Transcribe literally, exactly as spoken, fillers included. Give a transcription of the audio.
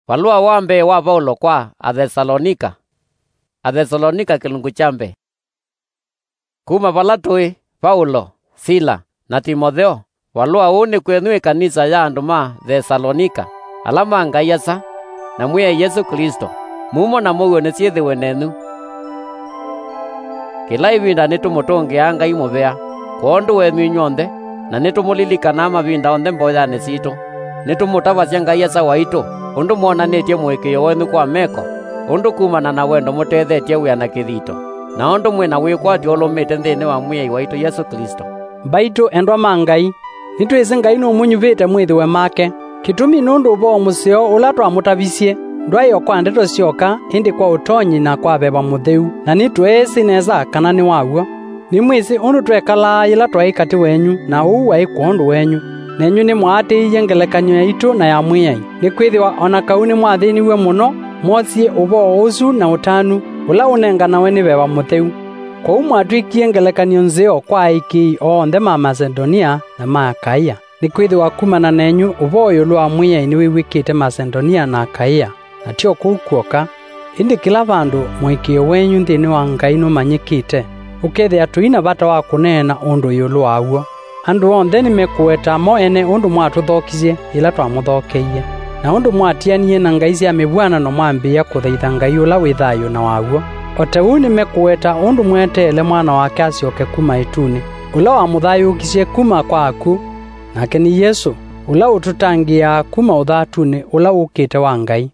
Valũa wa mbee wa Vaulo kwa Athesalonika. Athesalonika kĩlungu kya mbee. Kuma vala tũĩ, Vaulo, Sila, na Timotheo, valũa ũũ nĩ kwenyu ĩkanisa ya andũ ma Thesalonika, ala ma Ngai Asa, na Mwĩai Yesũ Klĩsto. Mumo na mũuo nĩsyĩthĩwe nenyu. Kĩla ĩvinda nĩtũmũtũngĩaa Ngai mũvea kwondũ wenyu inyw'onthe, na nĩtũmũlilikanaa mavinda onthe mboyanĩ sitũ. Nĩtũmũtavasya Ngai Asa waitũ, ũndũ mwonanĩtye mũĩkĩĩo wenyu kwa meko, ũndũ kumana na wendo mũtethetye wĩa na kĩthito, na ũndũ mwĩ na wĩkwatyo ũlũmĩte nthĩnĩ wa Mwĩai waitũ Yesũ Klĩsto. Mbaitũ endwa ma Ngai, nĩtwĩsĩ Ngai nũmũnyuvĩte mwĩthĩwe make. Kĩtumi nũndũ ũvoo mũseo ũla twamũtavisye ndwaĩ o kwa ndeto syoka, ĩndĩ kwa ũtonyi na kwa Veva Mũtheu, na nĩtweesĩ nesa kana nĩ wa w'o. Nĩmwĩsĩ ũndũ twekalaa yĩla twaĩ katĩ wenyu, na ũu waĩ kwondũ wenyu. Nenyu nĩmwaatĩĩie ngelekany'o yaitũ na ya Mwĩai, nĩkwĩthĩwa o na kau nĩmwathĩniw'e mũno mwosie ũvoo ũsu na ũtanu ũla ũnenganawe nĩ Veva Mũtheu. Kwoou mwatw'ĩkie ngelekany'o nzeo kwa aĩkĩĩi onthe ma Masedonia na ma Akaia. Nĩkwĩthĩwa kumana nenyu ũvoo ĩũlũ wa Mwĩai nĩwĩw'ĩkĩte Masedonia na Akaia, na tyo kũu kw'oka, ĩndĩ kĩla vandũ mũĩkĩĩo wenyu nthĩnĩ wa Ngai nũmanyĩkĩte, ũkethĩa tũi na vata wa kũneena ũndũ ĩũlũ wa w'o. Andũ onthe nĩmekũweta mo ene ũndũ mwatũthokisye yĩla twamũthokeie, na ũndũ mwatianie na ngai sya mĩvw'anano mwambĩĩa kũthaitha Ngai ũla wĩ thayũ na wa w'o. O ta ũu nĩmekũweta ũndũ mweteele Mwana wake asyoke kuma ĩtunĩ, ũla wamũthayũũkisye kuma kwa akw'ũ, nake nĩ Yesũ, ũla ũtũtangĩĩaa kuma ũthatunĩ ũla wũkĩte wa Ngai.